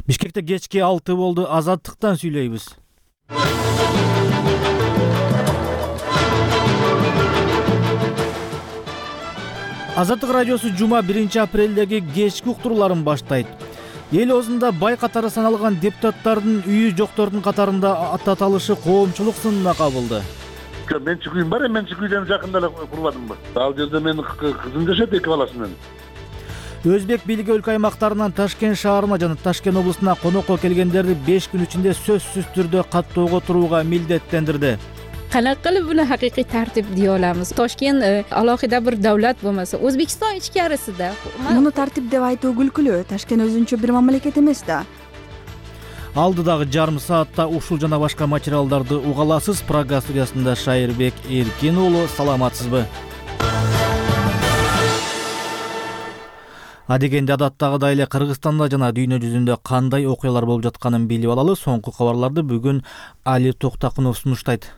Бишкекте кечки 6 болду. Азаттыктан сүйлөйбүз. Азаттык радиосу жума 1-апрелдеги кечки уктурууларын баштайт. Эл өзүндө бай катары саналган депутаттардын үйү жоктордун катарында аталышы коомчулук сынына кабылды. Менчик үйүм бар, менчик үйдөн жакында эле курбадымбы. Ал жерде менин кызым жашайт, 2 баласы менен. Өзбек бийлиги өлкө аймактарынан Ташкент шаарына жана Ташкент облусуна конокко келгендерди 5 күн ичинде сөзсүз түрдө каттоого турууга милдеттендирди. Qanaqa qilib buni haqiqiy tartib deya olamiz? Toshkent alohida bir davlat bo'lmasa, O'zbekiston ichkarisida. Buni tartib deb aytуу күлкүлүү. Ташкент өзүнчө бир мамлекет эмес да. Алдыдагы жарым саатта ушул жана башка материалдарды уга аласыз. Программа студиясында Шайырбек Эркин уулу, саламатсызбы? Адегенде адаттагыдай эле Кыргызстанда жана дүйнө жүзүндө кандай окуялар болуп жатканын билип алалы. Соңку кабарларды бүгүн Али Токтакунов сунуштайт.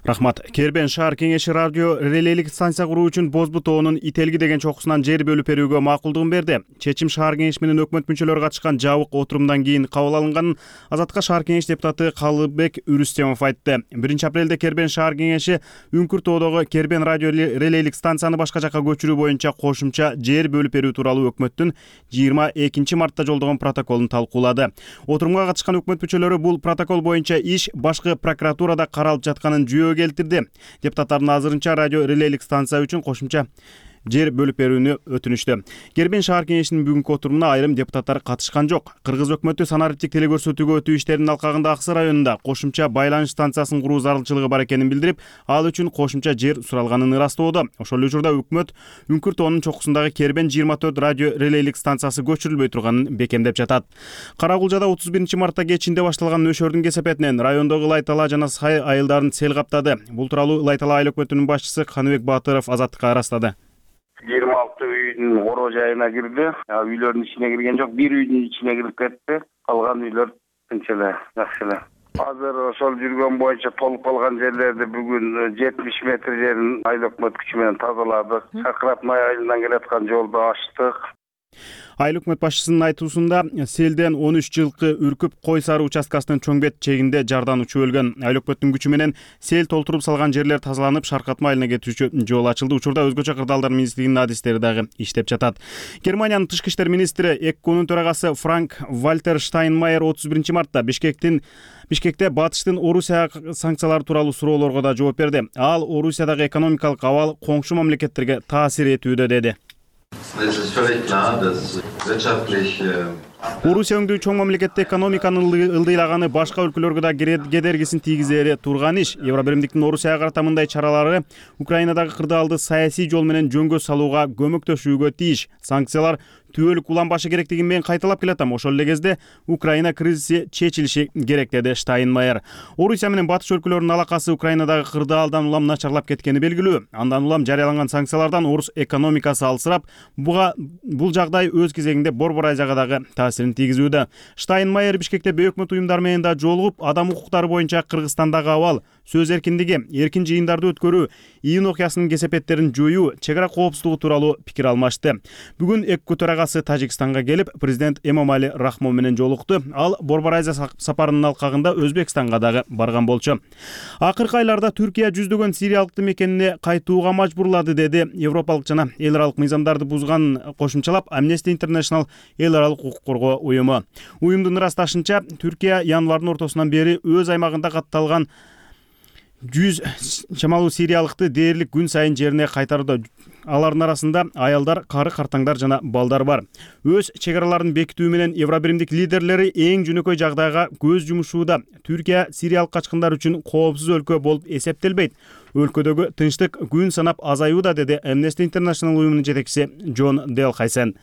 Рахмат. Кербен шаар кеңеши радио релейлик станция куруу үчүн Бозбу тоонун Ителги деген чокусунан жер бөлүп берүүгө макулдугун берди. Чечим шаар кеңеш менен өкмөт мүчөлөрү катышкан жабык отурумдан кийин кабыл алынганын Азаттыкка шаар кеңеш депутаты Калыбек Үрүстемов айтты. 1-апрелде Кербен шаар кеңеши Үңкүр тоодогу Кербен радио релейлик станцияны башка жакка көчүрүү боюнча кошумча жер бөлүп берүү тууралуу өкмөттүн 22 мартта жолдогон протоколун талкуулады. Отурумга катышкан өкмөт мүчөлөрү бул протокол боюнча иш башкы прокуратурада каралып жатканын жүйөгө келтирди. Депутаттардын азырынча радио релейлик станция үчүн кошумча жер бөлүп берүүнү өтүнүштү. Кербен шаар кеңешинин бүгүнкү отурумуна айрым депутаттар катышкан жок. Кыргыз өкмөтү санариптик телекөрсөтүүгө өтүү иштеринин алкагында Аксы районунда кошумча байланыш станциясын куруу зарылчылыгы бар экенин билдирип, ал үчүн кошумча жер суралганын ырастоодо. Ошол эле учурда өкмөт Үңкүр тоонун чокусундагы Кербен 24 радио релейлик станциясы көчүрүлбөй турганын бекемдеп жатат. Карагулжада 31-мартта кечинде башталган нөшөрдүн кесепетинен райондогу Лайтала жана Сай айылдарын сел каптады. Бул тууралуу Лайтала айыл өкмөтүнүн башчысы Каныбек Батыров Азаттыкка ырастады. 26 үйдүн ороо жайына кирди. Үйлөрдүн ичине кирген жок, бир үйдүн ичине кирип кетти. Калган үйлөр тынч эле, жакшы эле. Азыр ошол жүргөн боюнча толуп калган жерлерди бүгүн 70 метр жерин айыл өкмөт күчү менен тазаладык. Шакыратмай айылынан келаткан жолду ачтык. Айыл өкмөт башчысынын айтуусунда селден 13 жылкы үркүп Кой Сары участкасынын чоңбет чегинде жардан учуп өлгөн. Айыл өкмөттүн күчү менен сел толтуруп салган жерлер тазаланып, Шаркатма айылына кетүүчү жол ачылды. Учурда өзгөчө кырдаалдар министрлигинин адистери дагы иштеп жатат. Германиянын тышкы иштер министри ЭККУнун төрагасы Франк Вальтер Штайнмайер 31-мартта Бишкекте батыштын Орусияга санкциялар тууралуу суроолорго да жооп берди. Ал Орусиядагы экономикалык абал коңшу мамлекеттерге таасир этүүдө деди. Орусия өңдүү чоң мамлекетте экономиканын ылдыйлаганы башка өлкөлөргө да кедергисин тийгизери турган иш. Евробиримдиктин Орусияга карата мындай чаралары Украинадагы кырдаалды саясий жол менен жөнгө салууга көмөктөшүүгө тийиш. Санкциялар түбөлүк уланбашы керектигин мен кайталап келатам. Ошол эле кезде Украина кризиси чечилиши керек, деди Штайнмайер. Орусия менен батыш өлкөлөрүнүн алакасы Украинадагы кырдаалдан улам начарлап кеткени белгилүү. Андан улам жарыяланган санкциялардан орус экономикасы алсырап, бул жагдай өз кезегинде Борбор Азияга дагы таасирин тийгизүүдө. Штайнмайер Бишкекте өкмөт уюмдар менен да жолугуп, адам укуктары боюнча Кыргызстандагы абал, сөз эркиндиги, эркин жыйындарды өткөрүү, июнь окуясынын кесепеттерин жоюу, чек ара коопсуздугу тууралуу пикир алмашты. Бүгүн ЭККУ төрагасы Тажикстанга келип, президент Эмомали Рахмон менен жолукту. Ал Борбор Азия сапарынын алкагында Өзбекстанга дагы барган болчу. Акыркы айларда Түркия жүздөгөн сириялыкты мекенине кайтууга мажбурлады, деди Европалык жана эл аралык мыйзамдарды бузганын кошумчалап Amnesty International эл аралык укук коргоо уюму. Уюмдун ырасташынча, Түркия январдын ортосунан бери өз аймагында катталган 100 чамалуу сириялыкты дээрлик күн сайын жерине кайтарууда. Алардын арасында аялдар, кары картаңдар жана балдар бар. Өз чек араларын бекитүү менен Евробиримдик лидерлери эң жөнөкөй жагдайга көз жумушууда. Түркия сириялык качкындар үчүн коопсуз өлкө болуп эсептелбейт. Өлкөдөгү тынчтык күн санап азаюуда, деди Amnesty International уюмунун жетекчиси Джон Делхайсен.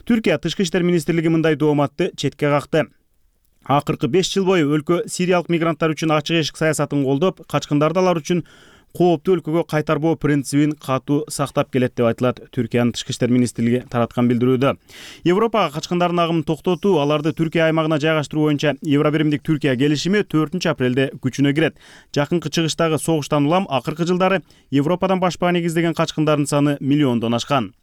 Түркия тышкы иштер министрлиги мындай дооматты четке какты. Акыркы 5 жыл бою өлкө сириялык мигранттар үчүн ачык эшик саясатын колдоп, качкындарды алар үчүн кооптуу өлкөгө кайтарбоо принцибин катуу сактап келет деп айтылат Түркиянын тышкы иштер министрлиги тараткан билдирүүдө. Европага качкындардын агымын токтотуу, аларды Түркия аймагына жайгаштыруу боюнча Евробиримдик Түркия келишими 4-апрелде күчүнө кирет. Жакынкы чыгыштагы согуштан улам акыркы жылдары Европадан башпаа негиздеген качкындардын саны миллиондон ашкан.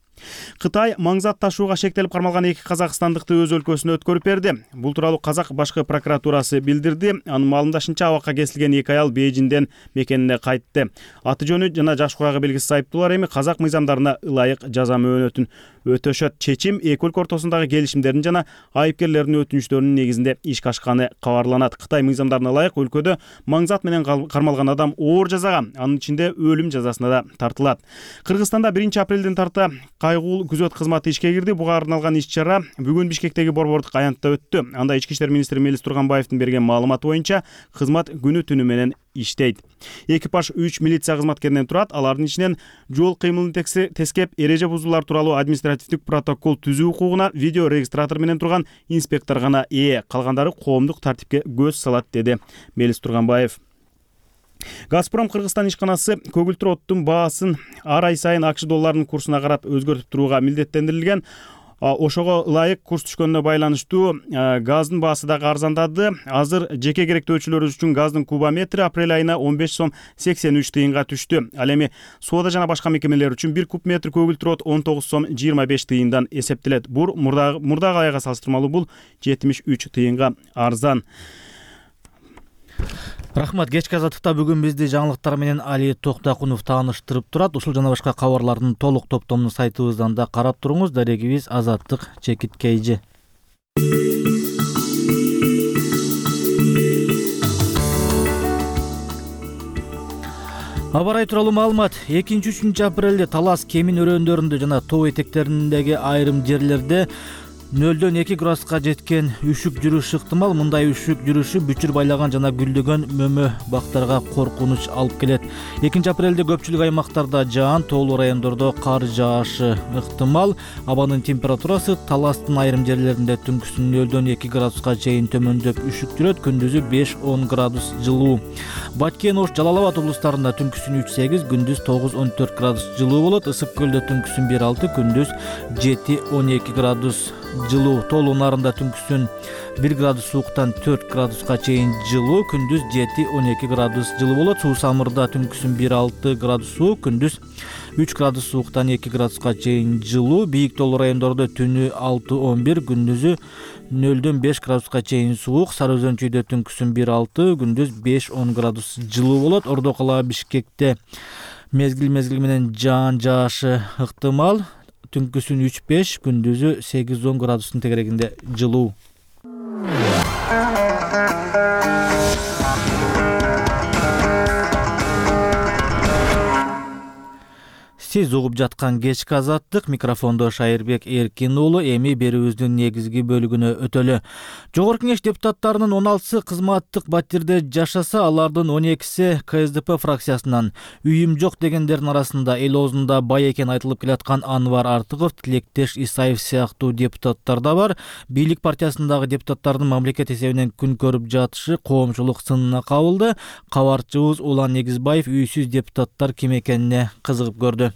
Кытай маң зат ташууга шектелип кармалган 2 казакстандыкты өз өлкөсүнө өткөрүп берди. Бул тууралуу Казак башкы прокуратурасы билдирди. Анын маалымдашынча, абакка кесилген 2 аял Бейжиңден мекенине кайтты. Аты жөнү жана жаш курагы белгисиз айыптуулар эми казак мыйзамдарына ылайык жаза мөөнөтүн өтөшөт. Чечим эки өлкө ортосундагы келишимдердин жана айыпкерлердин өтүнүчтөрүнүн негизинде ишке ашканы кабарланат. Кытай мыйзамдарына ылайык өлкөдө маң зат менен кармалган адам оор жазага, анын ичинде өлүм жазасына да тартылат. Кыргызстанда 1 апрелден тарта кайгуулуу күзөт кызматы ишке кирди. Буга арналган иш-чара бүгүн Бишкектеги Борбордук аянтта өттү. Анда Ички иштер министри Мелис Турганбаевдин берген маалыматы боюнча кызмат күнү түнү менен иштейт. Экипаж 3 милиция кызматкеринен турат. Алардын ичинен жол кыймылын тескеп, эреже бузуулар тууралуу административдик протокол түзүү укугуна видео регистратор менен турган инспектор гана ээ. Калгандары коомдук тартипке көз салат, деди Мелис Турганбаев. Газпром Кыргызстан ишканасы көгүлтүр оттун баасын ар ай сайын акш долларынын курсуна карап өзгөртүп турууга милдеттендирилген. Ошого ылайык курс түшкөнүнө байланыштуу газдын баасы дагы арзандады. Азыр жеке керектөөчүлөр үчүн газдын кубометри апрель айына 15 сом 83 тыйынга түштү. Ал эми соода жана башка мекемелер үчүн 1 куб метр көгүлтүр от 19 сом 25 тыйындан эсептелет. Мурдагы айга салыштырмалуу бул 73 тыйынга арзан. Рахмат. Кечки азаттыкта бүгүн бизди жаңылыктар менен Али Токтакунов тааныштырып турат. Ушул жана башка кабарлардын толук топтомун сайтыбыздан да карап туруңуз. Дарегибиз Азаттык _KG. Аба ырайы тууралуу маалымат. 2-3 апрелде Талас Кемин өрөөндөрүндө жана тоо этектериндеги айрым жерлерде 0-2 градуска жеткен үшүк жүрүшү ыктымал. Мындай үшүк жүрүшү бүчүр байлаган жана гүлдөгөн мөмө бактарга коркунуч алып келет. 2 апрелде көпчүлүк аймактарда жаан, тоолуу райондордо кар жаашы ыктымал. Абанын температурасы Таластын айрым жерлеринде түнкүсүн 0-2 градуска чейин төмөндөп үшүк жүрөт, күндүзү 5-10 градус жылуу. Баткен, Ош, Жалал Абад облустарында түнкүсүн 3-8, күндүз 9-14 градус жылуу болот. Ысык көлдө түнкүсүн 1-6, күндүз 7-12 градус жылуу. Тоолуу Нарында түнкүсүн 1 градус сууктан 4 градуска чейин жылуу, күндүз 7-12 градус жылуу болот. Суу Самырда түнкүсүн 1-6 градус суук, күндүз 3 градус сууктан 2 градуска чейин жылуу. Бийик тоолуу райондордо түнү 6-11, күндүзү 0-5 градуска чейин суук. Сары Өзөнчүйдө түнкүсүн 1-6, күндүз 5-10 градус жылуу болот. Ордо кала Бишкекте мезгил менен жаан жаашы ыктымал. Түнкүсүн 3-5, күндүзү 8-10 градустун тегерегинде жылуу. Сиз угуп жаткан кечки азаттык, микрофондо Шайырбек Эркин уулу. Эми берүүбүздүн негизги бөлүгүнө өтөлү. Жогорку Кеңеш депутаттарынын 16-сы кызматтык батирде жашаса, алардын 12-си КСДП фракциясынан. Үйүм жок дегендердин арасында эл оозунда бай экен айтылып келаткан Анвар Артыков, Тилектеш Исаев сыяктуу депутаттар да бар. Бийлик партиясындагы депутаттардын мамлекет эсебинен күн көрүп жатышы коомчулук сынына кабылды. Кабарчыбыз Улан Негизбаев үйсүз депутаттар ким экенине кызыгып көрдү.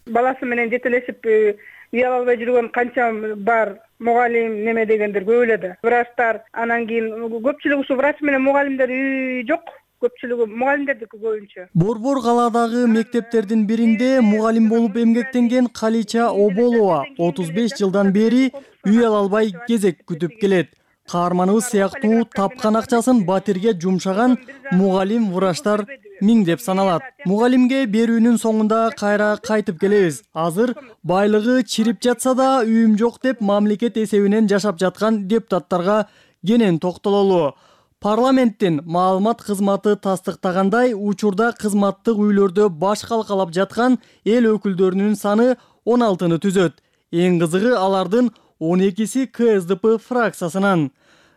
Баласы менен жетелешип үй ала албай жүргөн канча бар мугалим неме дегендер көп эле да. Врачтар, анан кийин көпчүлүгү ушу врач менен мугалимдер үй жок. Көпчүлүгү мугалимдердики көбүнчө. Борбор калаадагы мектептердин биринде мугалим болуп эмгектенген Калича Оболова 35 жылдан бери үй ала албай кезек күтүп келет. Каарманыбыз сыяктуу тапкан акчасын батирге жумшаган мугалим, врачтар миңдеп саналат. Мугалимге берүүнүн соңунда кайра кайтып келебиз. Азыр байлыгы чирип жатса да үйүм жок деп мамлекет эсебинен жашап жаткан депутаттарга кенен токтололу. Парламенттин маалымат кызматы тастыктагандай, учурда кызматтык үйлөрдө баш калкалап жаткан эл өкүлдөрүнүн саны 16-ны түзөт. Эң кызыгы алардын 12-си КСДП фракциясынан.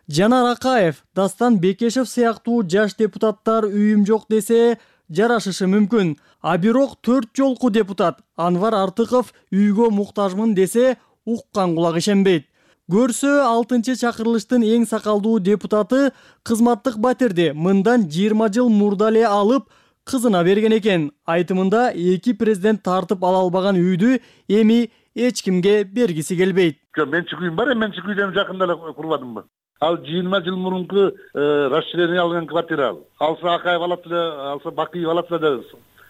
Жанар Акаев, Дастан Бекешев сыяктуу жаш депутаттар үйүм жок десе жарашышы мүмкүн. А бирок 4 жолку депутат Анвар Артыков үйгө муктажмын десе уккан кулак ишенбейт. Көрсө 6-чы чакырылыштын эң сакалдуу депутаты кызматтык батирди мындан 20 жыл мурда эле алып кызына берген экен. Айтымында 2 президент тартып ала албаган үйдү эми эч кимге бергиси келбейт. Менчик үйүм бар, менчик үйдөн жакында эле курбадымбы. Ал 20 жыл мурунку расширение алган квартира ал. Алса Акаев алат эле, алса Бакиев алат эле.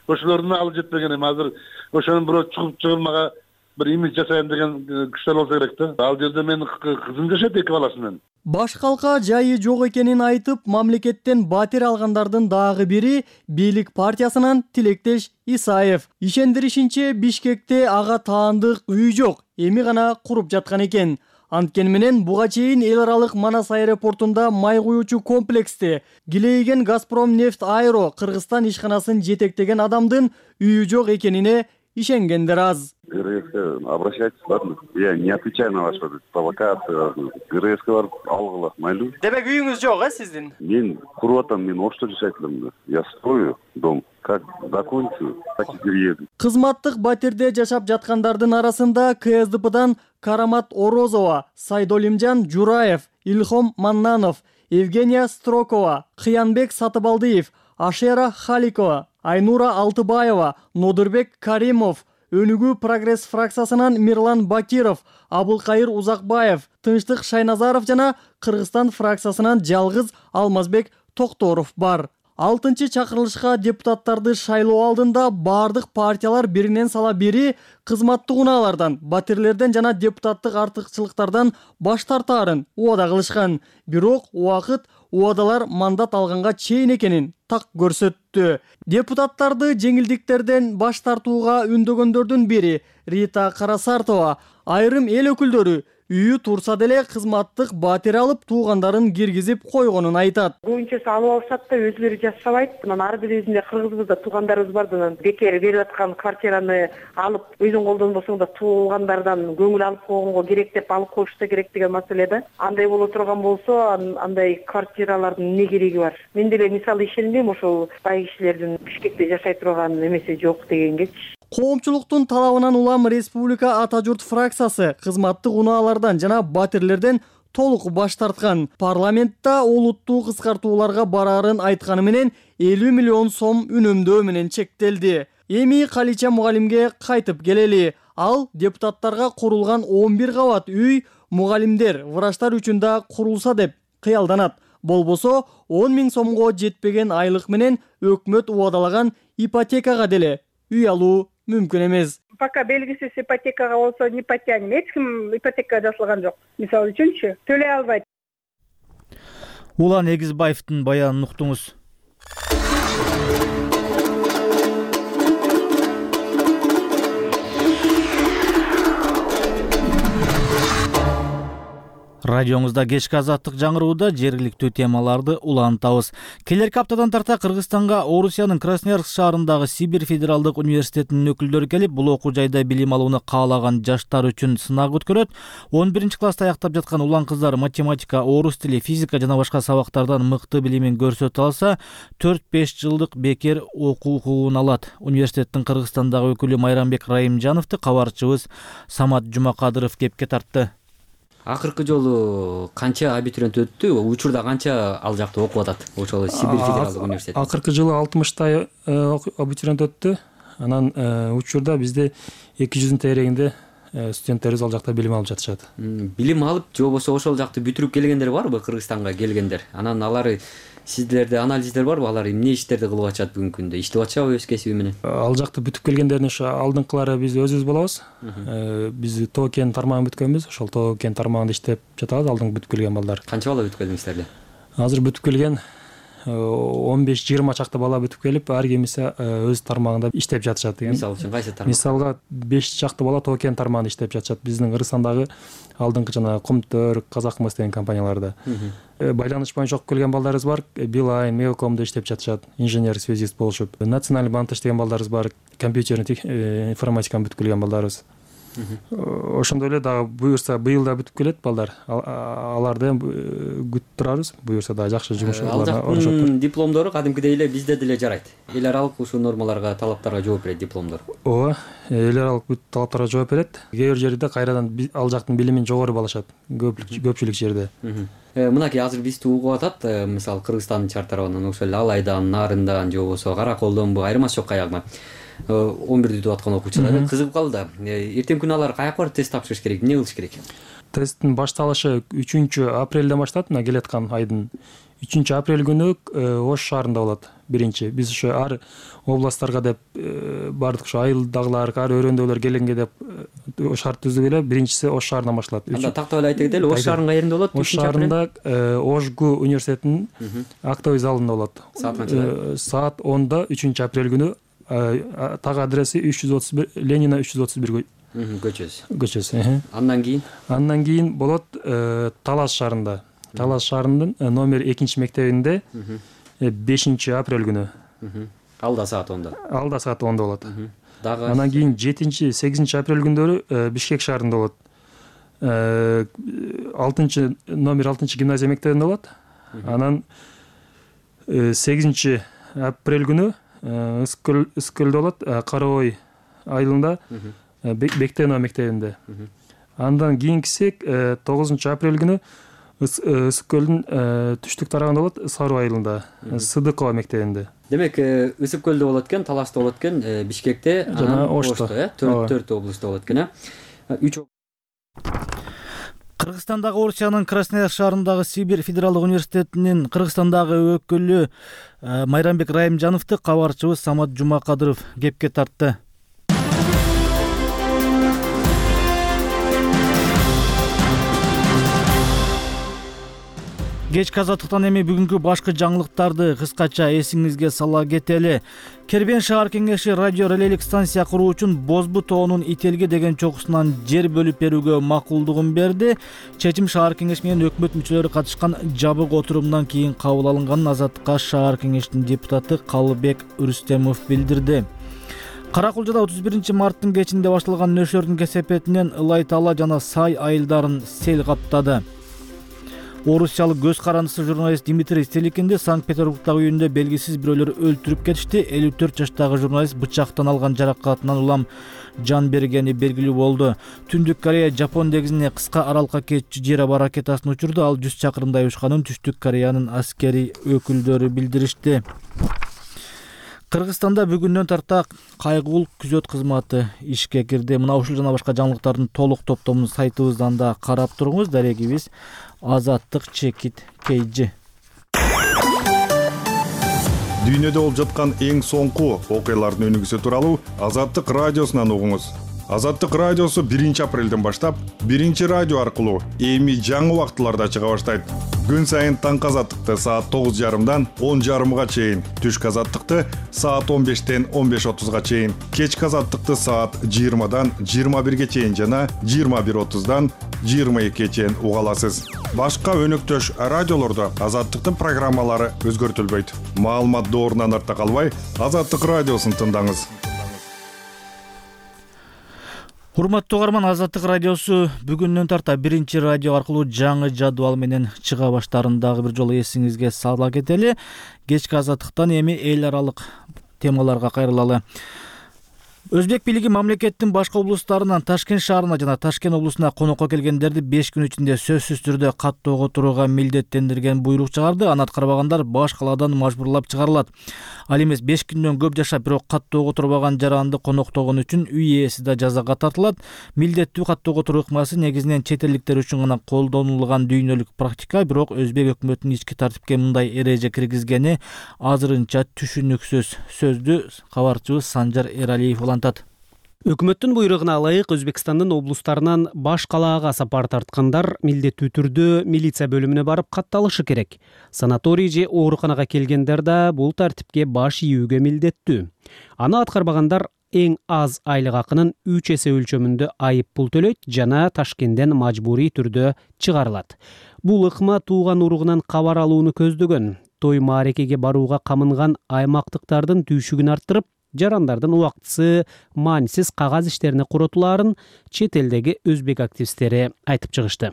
Ошолордун алып жетпеген эми азыр ошонун бирөө чыгып чыгылмага бир имидж жасайм деген күчтөр болсо керек да. Ал жерде менин кызым жашайт 2 баласы менен. Баш калка жайы жок экенин айтып, мамлекеттен батир алгандардын дагы бири бийлик партиясынан Тилектеш Исаев. Ишендиришинче, Бишкекте ага таандык үй жок, эми гана куруп жаткан экен. Анткени менен буга чейин эл аралык Манас аэропортунда май куюучу комплексте Гилейген Газпром нефть аэро Кыргызстан ишканасын жетектеген адамдын үйү жок экенине ишенгендер аз. ГРС обращайтесь, ладно? Я не отвечаю на ваши провокации. ГРС барып алгыла, майлуу. Демек үйүңүз жок, сиздин? Мен куруп атам, мен Ошто жашайт элем. Я строю дом. Как закончу, так и перееду. Кызматтык батирде жашап жаткандардын арасында КСДПдан Карамат Орозова, Сайдолимжан Жураев, Илхом Маннанов, Евгения Строкова, Кыянбек Сатыбалдиев, Ашера Халикова, Айнура Алтыбаева, Нодурбек Каримов, Өнүгүү прогресс фракциясынан Мирлан Бакиров, Абылкайыр Узакбаев, Тынчтык Шайназаров жана Кыргызстан фракциясынан жалгыз Алмазбек Токторов бар. 6-чакырылышка депутаттарды шайлоо алдында бардык партиялар биринен сала бири кызматтык унаалардан, батирлерден жана депутаттык артыкчылыктардан баш тартаарын убада кылышкан. Бирок убакыт убадалар мандат алганга чейин экенин так көрсөттү. Депутаттарды жеңилдиктерден баш тартууга үндөгөндөрдүн бири Рита Карасартова. Айрым эл өкүлдөрү үйү турса деле кызматтык батир алып туугандарын киргизип койгонун айтат. Көбүнчөсү алып алышат да өзүлөрү жашабайт. Анан ар бирибизде кыргызбызда туугандарыбыз бар да, бекер берип аткан квартираны алып өзүң колдонбосоң да туугандардан көңүл алып койгонго керек деп алып коюш да керек деген маселе да. Андай боло турган болсо, андай квартиралардын эмне кереги бар? Мен деле мисалы ишенбейм ошол бай кишилердин Бишкекте жашай турган эмеси жок дегенгечи. Коомчулуктун талабынан улам Республика Ата журт фракциясы кызматтык унаалардан жана батирлерден толук баш тарткан. Парламентта олуттуу кыскартууларга бараарын айтканы менен 50 миллион сом үнөмдөө менен чектелди. Эми Калича мугалимге кайтып келели. Ал депутаттарга курулган 11 кабат үй мугалимдер, врачтар үчүн да курулса деп кыялданат. Болбосо 10 000 сомго жетпеген айлык менен өкмөт убадалаган ипотекага деле үй алуу мүмкүн эмес. Пока белгисиз ипотекага болсо не потянем. Эч ким ипотекага жасалган жок. Мисалы үчүнчү төлөй албайт. Улан Эгизбаевдин баянын уктуңуз. Радиоңузда кечки азаттык жаңырууда жергиликтүү темаларды улантабыз. Келерки аптадан тарта Кыргызстанга Орусиянын Красноярск шаарындагы Сибирь федералдык университетинин өкүлдөрү келип, бул окуу жайда билим алууну каалаган жаштар үчүн сынак өткөрөт. 11-класста аяктап жаткан улан кыздар математика, орус тили, физика жана башка сабактардан мыкты билимин көрсөтө алса, 4-5 жылдык бекер окуу укугун алат. Университеттин Кыргызстандагы өкүлү Майрамбек Райымжановду кабарчыбыз Самат Жумакадыров кепке тартты. Акыркы жолу канча абитуриент өттү? Учурда канча ал жакта окуп атат? Ошол Сибирь федералдык университет. Акыркы жылы 60 абитуриент өттү. Анан учурда бизде 200 тегерегинде студенттерибиз ал жакта билим алып жатышат. Билим алып, же болбосо ошол жакты бүтүрүп келгендер барбы, Кыргызстанга келгендер? Анан алар сиздерде анализдер барбы? Алар эмне иштерди кылып атышат бүгүнкү күндө? Иштеп атышабы өз кесиби менен? Ал жакты бүтүп келгендердин ошо алдыңкылары биз өзүбүз болобуз. Биз ТОК-кен тармагын бүткөнбүз. Ошол ТОК-кен тармагында иштеп жатабыз, алдыңкы бүтүп келген балдар. Канча бала бүтүп келдиңиздер? Азыр бүтүп келген 15-20 чакты бала бүтүп келип, ар кимиси өз тармагында иштеп жатышат деген. Мисалы үчүн кайсы тармак? Мисалга 5 чакты бала ТОК-кен тармагында иштеп жатышат. Биздин Кыргызстандагы алдыңкы жана Комтөр, Казакмыс деген компанияларда. Байланыш боюнча окуп келген балдарыбыз бар. Билайн, Мейлкомдо иштеп жатышат, инженер-связист болушуп. Национальный банкта иштеген балдарыбыз бар, компьютерный информатиканы бүтүп келген балдарыбыз. Ошондой эле дагы буюрса быйыл да бүтүп келет балдар. Аларды күтүп турабыз. Буюрса да жакшы жумуш алып. Дипломдору кадимкидей эле бизде деле жарайт. Эл аралык ушул нормаларга, талаптарга жооп берет дипломдор. Ооба, эл аралык бүт талаптарга жооп берет. Кээ бир жерде кайрадан ал жактын билимин жогору балашат. Көпчүлүк жерде. Мынакей азыр бизди угуп атат, мисалы Кыргызстандын чар тарабынан ошол Алайдан, Нарындан, же болбосо Караколдонбу, айырмасы жок каягынан 11 бүтүп аткан окуучулар кызыгып калды. Эртең күнү алар каяка барып тест тапшырыш керек, эмне кылыш керек? Тесттин башталышы 3 апрелден башталат, мына келаткан айдын 3 апрель күнү Ош шаарында болот. Биринчи биз ошо ар областтарга деп бардык, ошо айылдагылар, ар өрөөндөгүлөр келгенге деп шарт түздүк эле. Биринчиси Ош шаарынан башталат. Анда тактап эле айта кетели, Ош шаарынын каеринде болот? Ош шаарында Ошгу университетинин актовый залында болот. Саат канчада? Саат 10-да 3 апрель күнү. Так адреси 331 Ленина 331 көчөсү. Андан кийин болот Талас шаарында. Талас шаарынын номер 2 мектебинде 5 апрель күнү. Алда саат 10-да. Алда саат 10-да болот. Дагы анан кийин 7-8 апрель күндөрү Бишкек шаарында болот. 6 номер 6 гимназия мектебинде болот. Анан 8 апрель күнү Ыскөлдө болот, Карабой айылында Бектенова мектебинде. Андан кийинкиси 9 апрель күнү Ыскөлдүн түштүк тарабында болот, Сару айылында Сыдыкова мектебинде. Демек, Ысык-Көлдө болот экен, Таласта болот экен, Бишкекте, жана Ошто, 4 облустта болот экен, 3. Кыргызстандагы Орусиянын Краснояр шаарындагы Сибирь федералдык университетинин Кыргызстандагы өкүлү Майрамбек Райымжановду кабарчыбыз Самат Жумакадыров кепке тартты. Кечки азаттыктан эми бүгүнкү башкы жаңылыктарды кыскача эсиңизге сала кетели. Кербен шаар кеңеши радио релейлик станция куруу үчүн Бозбу тоонун Ителге деген чокусунан жер бөлүп берүүгө макулдугун берди. Чечим шаар кеңеши менен өкмөт мүчөлөрү катышкан жабык отурумдан кийин кабыл алынганын Азаттыкка шаар кеңешинин депутаты Калыбек Рүстемов билдирди. Каракулжада 31 марттын кечинде башталган нөшөрдүн кесепетинен Ылай Тала жана Сай айылдарын сел каптады. Орусиялык көз карандысы журналист Дмитрий Стеликинди Санкт-Петербургдагы үйүндө белгисиз бирөөлөр өлтүрүп кетишти. 54 жаштагы журналист бычактан алган жаракатынан улам жан бергени белгилүү болду. Түндүк Корея Жапон деңизине кыска аралыкка кетчү жер аба ракетасын учурду. Ал 100 чакырымдай учканын Түштүк Кореянын аскери өкүлдөрү билдиришти. Кыргызстанда бүгүндөн тарта кайгылуу күзөт кызматы ишке кирди. Мына ушул жана башка жаңылыктардын толук топтомун сайтыбыздан да карап туруңуз. Дарегибиз Азаттык чекит KG. Дүйнөдө болуп жаткан эң соңку окуялардын өнүгүүсү тууралуу Азаттык радиосунан угуңуз. Азаттык радиосу 1 апрелден баштап 1 радио аркылуу эми жаңы убактыларда чыга баштайт. Күн сайын таңкы азаттыкты саат 9:30дан 10:30га чейин, түшкү азаттыкты саат 15-тен 15:30га чейин, кечки азаттыкты саат 20-дан 21-ге чейин жана 21:30-дан 22-ге чейин уга аласыз. Башка өнөктөш радиолордо азаттыктын программалары өзгөртүлбөйт. Маалымат доорунан артта калбай, Азаттык радиосун тыңдаңыз. Урматтуу угарман, Азаттык радиосу бүгүндөн тарта 1 радио аркылуу жаңы жадвал менен чыга баштарын дагы бир жолу эсиңизге сала кетели. Кечки азаттыктан эми эл аралык темаларга кайрылалы. Өзбек бийлиги мамлекеттин башка облустарынан Ташкент шаарына жана Ташкент облусуна конокко келгендерди 5 күн ичинде сөзсүз түрдө каттоого турууга милдеттендирген буйрук чыгарды. Аны аткарбагандар баш калаадан мажбурлап чыгарылат. Ал эмес 5 күндөн көп жашап, бирок каттоого турбаган жаранды коноктогон үчүн үй ээси да жазага тартылат. Милдеттүү каттоого туруу ыкмасы негизинен чет элдиктер үчүн гана колдонулган дүйнөлүк практика, бирок өзбек өкмөтүнүн ички тартипке мындай эреже киргизгени азырынча түшүнүксүз. Сөздү кабарчыбыз Санжар Эралиев улантат. Өкмөттүн буйругуна ылайык Өзбекстандын облустарынан баш калаага сапар тарткандар милдеттүү түрдө милиция бөлүмүнө барып катталышы керек. Санаторий же ооруканага келгендер да бул тартипке баш ийүүгө милдеттүү. Аны аткарбагандар эң аз айлык акынын 3 эсе өлчөмүндө айып пул төлөйт жана Ташкенттен мажбурий түрдө чыгарылат. Бул ыкма тууган уругунан кабар алууну көздөгөн. Той маарекеге барууга камынган аймактыктардын түйшүгүн арттырып, жарандардын убактысы маанисиз кагаз иштерине куротулаарын чет элдеги өзбек активисттери айтып чыгышты.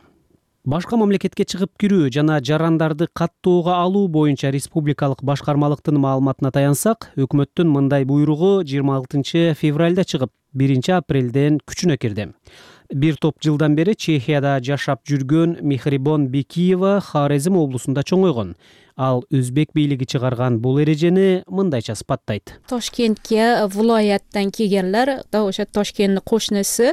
Башка мамлекетке чыгып кирүү жана жарандарды каттоого алуу боюнча республикалык башкармалыктын маалыматына таянсак, өкмөттүн мындай буйругу 26 февралда чыгып, 1 апрелден күчүнө кирди. Бир топ жылдан бери Чехияда жашап жүргөн Мехрибон Бекиева Хорезм облусунда чоңойгон. Ал өзбек бийлиги чыгарган бул эрежени мындайча сыпаттайт. Toshkentga viloyatdan kelganlar, o'sha Toshkentning qo'shnisi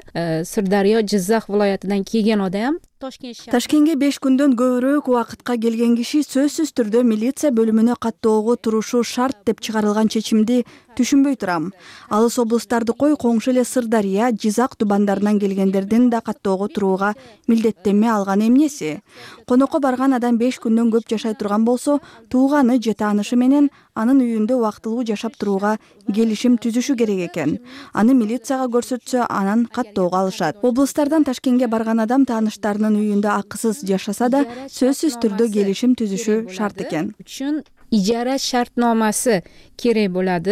Sirdaryo, Jizzax viloyatidan kelgan odam Ташкентке 5 күндөн көбүрөөк убакытка келген киши сөзсүз түрдө милиция бөлүмүнө каттоого турушу шарт деп чыгарылган чечимди түшүнбөй турам. Алыс облустарды кой, коңшу эле Сырдария, Жизак тубандарынан келгендердин да каттоого турууга милдеттенме алган эмнеси? Конокко барган адам 5 күндөн көп жашай турган болсо, тууганы же таанышы менен анын үйүндө убактылуу жашап турууга келишим түзүшү керек экен. Аны милицияга көрсөтсө, анан каттоого алышат. Облустардан Ташкентке барган адам тааныштарынын үйүндө акысыз жашаса да, сөзсүз түрдө келишим түзүшү шарт экен. Үчүн ижара шартномасы керек болот.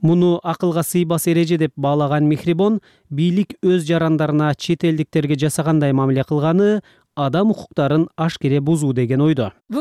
Муну акылга сыйбас эреже деп баалаган Мехрибон, бийлик өз жарандарына чет элдиктерге жасагандай мамиле кылганы адам укуктарын ашкере бузуу деген ойдо. Bu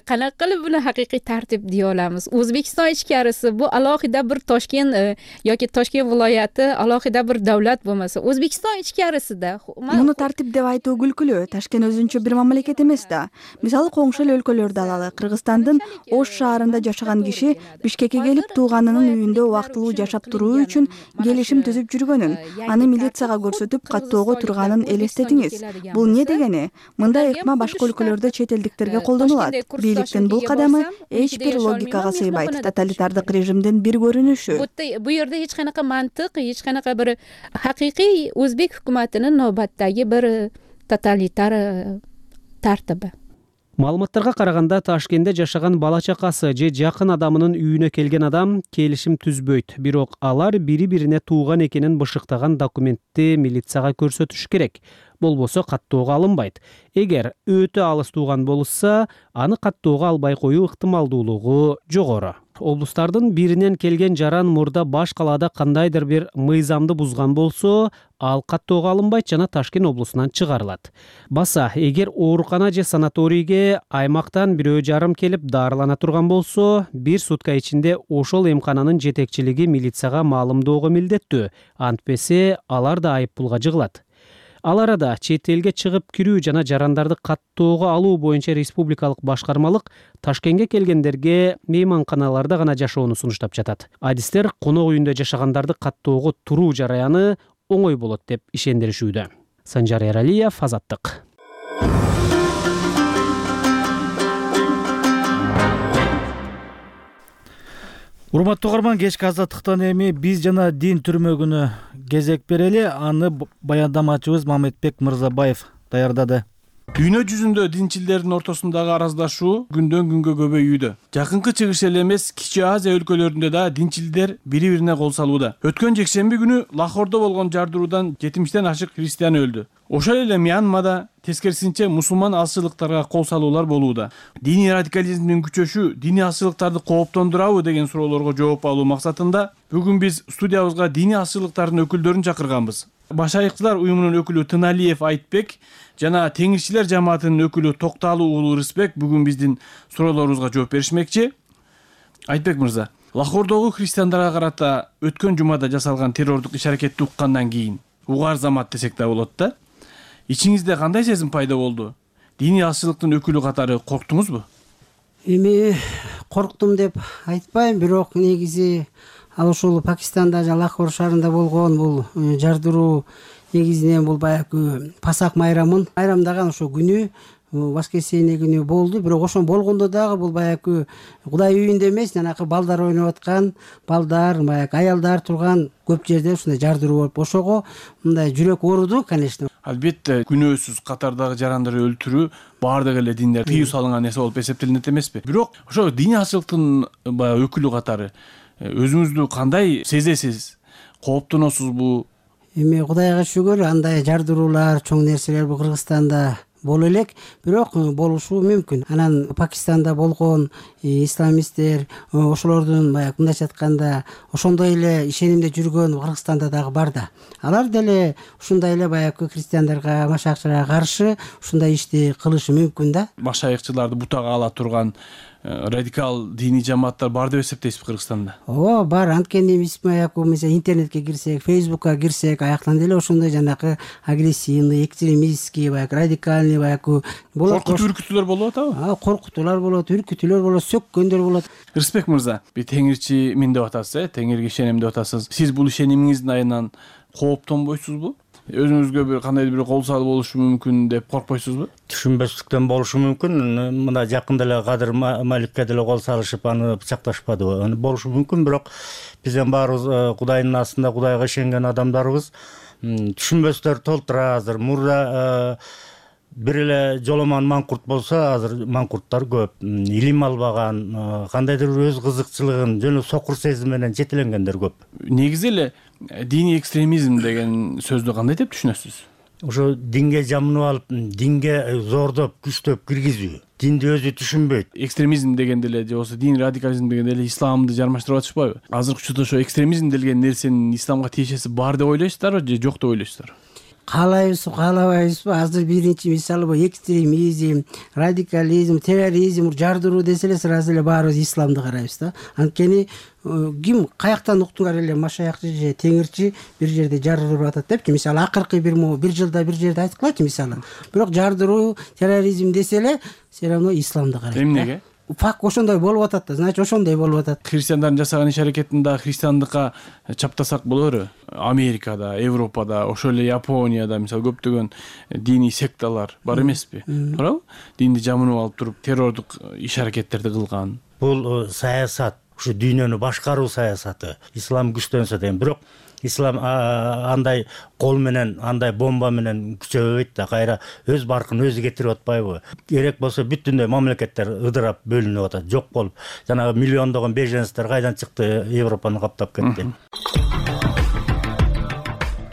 qanaqa qilib buni haqiqiy tartib deya olamiz? O'zbekiston ichkarisi bu alohida bir Toshkent yoki Toshkent viloyati alohida bir davlat bo'lmasa, O'zbekiston ichkarisida Муну тартип деп айтуу күлкүлүү. Ташкент өзүнчө бир мамлекет эмес да. Мисалы коңшу эле өлкөлөрдү алалы. Кыргызстандын Ош шаарында жашаган киши Бишкекке келип тууганынын үйүндө убактылуу жашап туруу үчүн келишим түзүп жүргөнүн, аны милицияга көрсөтүп каттоого турганын элестетиңиз. Бул эмне дегени? Мындай ыкма башка өлкөлөрдө чет элдиктерге колдонулат. Бийликтин бул кадамы эч бир логикага сыйбайт. Тоталитардык режимдин бир көрүнүшү. Bu yerda hech qanaqa mantiq, hech qanaqa bir haqiqiy o'zbek hukumatining navbatdagi bir totalitar tartibi. Маалыматтарга караганда Ташкентте жашаган бала чакасы же жакын адамынын үйүнө келген адам келишим түзбөйт. Бирок алар бири-бирине тууган экенин бышыктаган документти милицияга көрсөтүш керек. Болбосо каттоого алынбайт. Эгер өтө алыс тууган болушса, аны каттоого албай коюу ыктымалдуулугу жогору. Облустардын биринен келген жаран мурда баш калаада кандайдыр бир мыйзамды бузган болсо, ал каттоого алынбайт жана Ташкент облусунан чыгарылат. Баса, эгер оорукана же санаторийге аймактан бирөө жарым келип дарылана турган болсо, 1 сутка ичинде ошол эмкананын жетекчилиги милицияга маалымдоого милдеттүү. Антпесе алар да айыппулга жыгылат. Ал арада чет элге чыгып кирүү жана жарандарды каттоого алуу боюнча республикалык башкармалык Ташкентке келгендерге мейманканаларда гана жашоону сунуштап жатат. Адистер конок үйүндө жашагандарды каттоого туруу жараяны оңой болот деп ишендиришүүдө. Санжар Эралиев, Азаттык. Урматтуу угарман, кечки Азаттыктан эми биз жана дин түрмөгүнө кезек берели. Аны баяндамачыбыз Мамедбек Мырзабаев даярдады. Дүйнө жүзүндө динчилдердин ортосундагы араздашуу күндөн күнгө көбөйүүдө. Жакынкы Чыгыш эле эмес, Кичи Азия өлкөлөрүндө да динчилдер бири-бирине кол салууда. Өткөн жекшемби күнү Лахордо болгон жардыруудан 70тен ашык христиан өлдү. Ошол эле Мьянмада тескерисинче мусулман алчылыктарга кол салуулар болууда. Диний радикализмдин күчөшү диний алчылыктарды кооптондурабы деген суроолорго жооп алуу максатында бүгүн биз студиябызга диний алчылыктардын өкүлдөрүн чакырганбыз. Башайыкчылар уюмунун өкүлү Тыналиев Айтбек жана Теңирчилер жамаатынын өкүлү Токталуу уулу Рысбек бүгүн биздин суроолорубузга жооп беришмекчи. Айтбек мырза, Лахордогу христиандарга карата өткөн жумада жасалган террордук иш-аракетти уккандан кийин угар замат десек да болот да. Ичиңизде кандай сезим пайда болду? Диний алчылыктын өкүлү катары корктуңузбу? Эми корктум деп айтпайм, бирок негизи ал ушул Пакистанда жана Лахор шаарында болгон бул жардыруу негизинен бул баягы Пасак майрамдаган ошо күнү, воскресенье күнү болду. Бирок ошон болгондо дагы бул баягы Кудай үйүндө эмес, жанакы балдар ойноп аткан, балдар, баягы аялдар турган көп жерде ушундай жардыруу болуп, ошого мындай жүрөк ооруду, конечно. Албетте, күнөөсүз катардагы жарандарды өлтүрүү баардык эле диндер тыюу салынган нерсе болуп эсептелинет эмеспи? Бирок ошо диний алчылыктын баягы өкүлү катары өзүңүздү кандай сезесиз? Кооптоносузбу? Эми Кудайга шүгүр, андай жардыруулар, чоң нерселер бул Кыргызстанда боло элек, бирок болушу мүмкүн. Анан Пакистанда болгон исламисттер, ошолордун баягы мындайча айтканда ошондой эле ишенимде жүргөн Кыргызстанда дагы бар да. Алар деле ушундай эле баягы христиандарга, машайыкчыларга каршы ушундай ишти кылышы мүмкүн да. Машайыкчыларды бутага ала турган радикал диний жамааттар бар деп эсептейсизби Кыргызстанда? ооба бар. Анткени биз баягы мисалы интернетке кирсек, фейсбукка кирсек, аяктан деле ошондой жанагы агрессивный, экстремистский, баягы радикальный баягы болот. Коркутуу үркүтүүлөр болуп атабы? Коркутуулар болот, үркүтүүлөр болот, сөккөндөр болот. Рысбек мырза, теңирчимин деп атасыз, теңирге ишенем деп атасыз. Сиз бул ишенимиңиздин айынан кооптонбойсузбу? Өзүңүзгө бир кандайдыр бир кол салып болушу мүмкүн деп коркпойсузбу? Түшүнбөстүктөн болушу мүмкүн. Мына жакында эле Кадыр Маликке деле кол салышып, аны бычакташпадыбы? Аны болушу мүмкүн, бирок бизден баарыбыз Кудайдын астында Кудайга ишенген адамдарбыз. Түшүнбөстөр толтура. Азыр мурда бир эле жоломан маңкурт болсо, азыр маңкурттар көп. Илим албаган, кандайдыр өз кызыкчылыгын жөн сокур сезим менен жетеленгендер көп. Негизи эле диний экстремизм деген сөздү кандай деп түшүнөсүз? Ошо динге жамынып алып, динге зордоп, күчтөп киргизүү. Динди өзү түшүнбөйт. Экстремизм дегенде эле же болбосо дин радикализм дегенде эле исламды жармаштырып атышпайбы? Азыркы учурда ошо экстремизм деген нерсенин исламга тиешеси бар деп ойлойсуздарбы же жок деп ойлойсуздарбы? Каалайбызбы, каалабайбызбы? Азыр биринчи мисалы бул экстремизм, радикализм, терроризм, жардыруу десе эле сразу эле баарыбыз исламды карайбыз да. Анткени ким каяктан уктуңар эле машаякчы же теңирчи бир жерде жардырып атат депчи. Мисалы акыркы бир жылда бир жерде айткылачы мисалы. Бирок жардыруу, терроризм десе эле все равно исламды карайт. Эмнеге? Факт ошондой болуп атат да, значит ошондой болуп атат. Христиандардын жасаган иш аракетин да христиандыкка чаптасак болору. Америкада, Европада, ошол эле Японияда мисалы көптөгөн диний секталар бар эмеспи? Туурабы? Динди жамынып алып туруп террордук иш аракеттерди кылган. Бул саясат, ушу дүйнөнү башкаруу саясаты. Ислам күчтөнсө дейм, бирок ислам андай кол менен, андай бомба менен күчөбөйт да, кайра өз баркын өзү кетирип атпайбы? Керек болсо бүтүндөй мамлекеттер ыдырап бөлүнүп атат, жок болуп. Жанагы миллиондогон беженецтер кайдан чыкты, Европаны каптап кетти.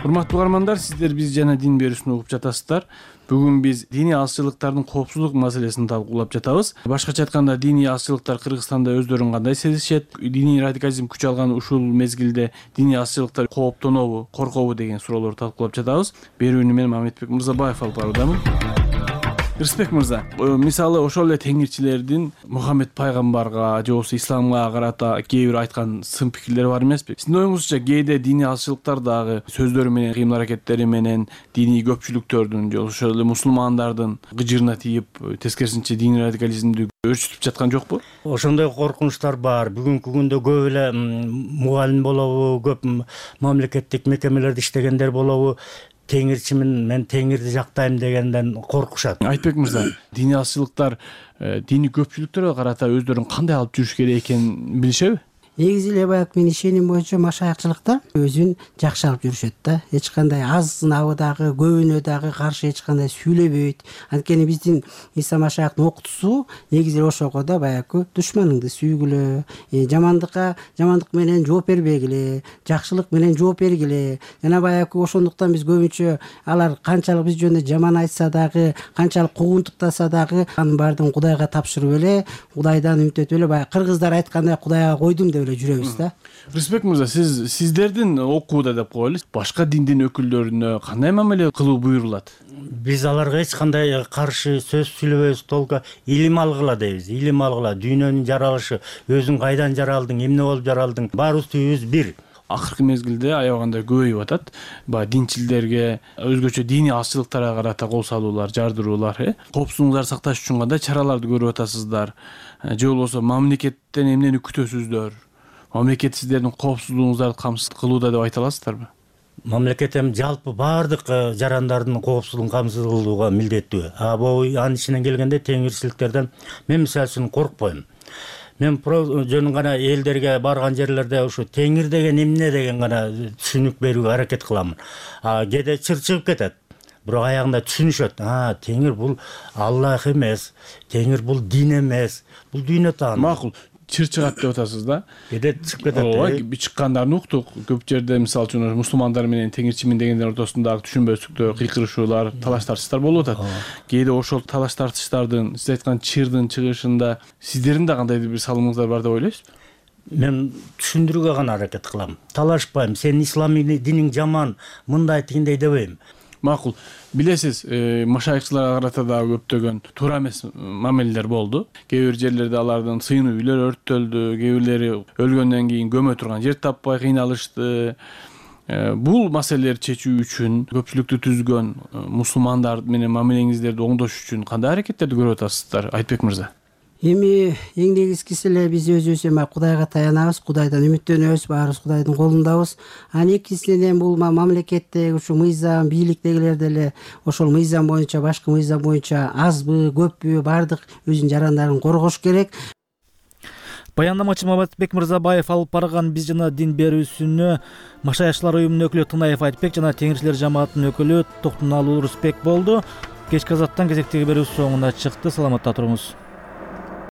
Урматтуу угармандар, сиздер биз жана дин берүүсүн угуп жатасыздар. Бүгүн биз диний алчылыктардын коопсуздук маселесин талкуулап жатабыз. Башкача айтканда, диний алчылыктар Кыргызстанда өздөрүн кандай сезишет? Диний радикализм күч алган ушул мезгилде диний алчылыктар кооптонобу, коркобу деген суроолорду талкуулап жатабыз. Берүүнү мен Мамедбек Мырзабаев алып баруудамын. Рысбек мырза, мисалы ошол эле теңирчилердин Мухаммед пайгамбарга же болбосо исламга карата кээ бир айткан сын пикирлери бар эмеспи? Сиздин оюңузча кээде диний алчылыктар дагы сөздөрү менен, кыймыл аракеттери менен диний көпчүлүктөрдүн же ошол эле мусулмандардын гыжырына тийип, тескерисинче диний радикализмди өөрчүтүп жаткан жокпу? Ошондой коркунучтар бар. Бүгүнкү күндө көп эле мугалим болобу, көп мамлекеттик мекемелерде иштегендер болобу, теңирчимин, мен теңирди жактайм дегенден коркушат. Айтбек мырза, диний алчылыктар диний көпчүлүктөргө карата өздөрүн кандай алып жүрүш керек экенин билишеби? Негизи эле баягы менин ишеним боюнча машаякчылыктар өзүн жакшы алып жүрүшөт да. Эч кандай азынабы дагы, көбүнө дагы каршы эч кандай сүйлөбөйт. Анткени биздин Иса машаяктын окутуусу негизи эле ошого да баягы душманыңды сүйгүлө, жамандык менен жооп бербегиле, жакшылык менен жооп бергиле. Жана баягы ошондуктан биз көбүнчө алар канчалык биз жөнүндө жаман айтса дагы, канчалык куугунтуктаса дагы анын баардыгын Кудайга тапшырып эле, Кудайдан үмүт этип эле баягы кыргыздар айткандай Кудайга койдум деп эле жүрөбүз да. Рысбек мырза, сиздердин окууда деп коелу, башка диндин өкүлдөрүнө кандай мамиле кылуу буйрулат? Биз аларга эч кандай каршы сөз сүйлөбөйбүз, толку илим алгыла дейбиз. Илим алгыла, дүйнөнүн жаралышы, өзүң кайдан жаралдың, эмне болуп жаралдың, баарыбыз түбүбүз бир. Акыркы мезгилде аябагандай көбөйүп атат. Баягы динчилдерге, өзгөчө диний алчылыктарга карата кол салуулар, жардыруулар, коопсуздугуңарды сакташ үчүн кандай чараларды көрүп атасыздар? Же болбосо мамлекеттен эмнени күтөсүздөр? Мамлекет сиздердин коопсуздугуңуздарды камсыз кылууда деп айта аласыздарбы? Мамлекет эми жалпы баардык жарандардын коопсуздугун камсыз кылууга милдеттүү. Бул анын ичинен келгенде теңирчиликтерден мен мисалы үчүн коркпойм. Мен жөн гана элдерге барган жерлерде ушу теңир деген эмне деген гана түшүнүк берүүгө аракет кыламын. Кээде чыр чыгып кетет. Бирок аягында түшүнүшөт. Теңир бул Аллах эмес, теңир бул дин эмес, бул дүйнө тааны. Макул. Чыр чыгат деп атасыз да? Кээде чыгып кетет. Ооба, чыккандарын уктук. Көп жерде мисалы үчүн мусулмандар менен теңирчимин дегендер ортосунда түшүнбөстүктөр, кыйкырышуулар, талаш тартыштар болуп атат. Кээде ошол талаш тартыштардын, сиз айткан чырдын чыгышында сиздердин да кандайдыр бир салымыңыздар бар деп ойлойсузбу? Мен түшүндүрүүгө гана аракет кылам. Талашпайм. Сен ислам диниң жаман, мындай тигиндей дебейм. Макул. Билесиз, машайыкчыларга карата дагы көптөгөн туура эмес мамилелер болду. Кээ бир жерлерде алардын сыйынуу үйлөр өрттөлдү, кээ бирлери өлгөндөн кийин көмө турган жер таппай кыйналышты. Бул маселелерди чечүү үчүн көпчүлүктү түзгөн мусулмандар менен мамилеңиздерди оңдош үчүн кандай аракеттерди көрүп атасыздар, Айтбек мырза? Эми эң негизгиси эле биз өзүбүз эми Кудайга таянабыз, Кудайдан үмүттөнөбүз, баарыбыз Кудайдын колундабыз. Экинчиден бул мамлекеттеги ушу мыйзам, бийликтегилер деле ошол мыйзам боюнча, башкы мыйзам боюнча азбы, көппү баардык өзүнүн жарандарын коргош керек. Баяндамачы Маматбек Мырзабаев алып барган биз жана дин берүүсүнө Машайыкчылар уюмунун өкүлү Тынаев Айтбек жана Теңирчилер жамаатынын өкүлү Токтуналуу Рысбек болду. Кечки азаттан кезектеги берүүсү соңуна чыкты. Саламатта туруңуз.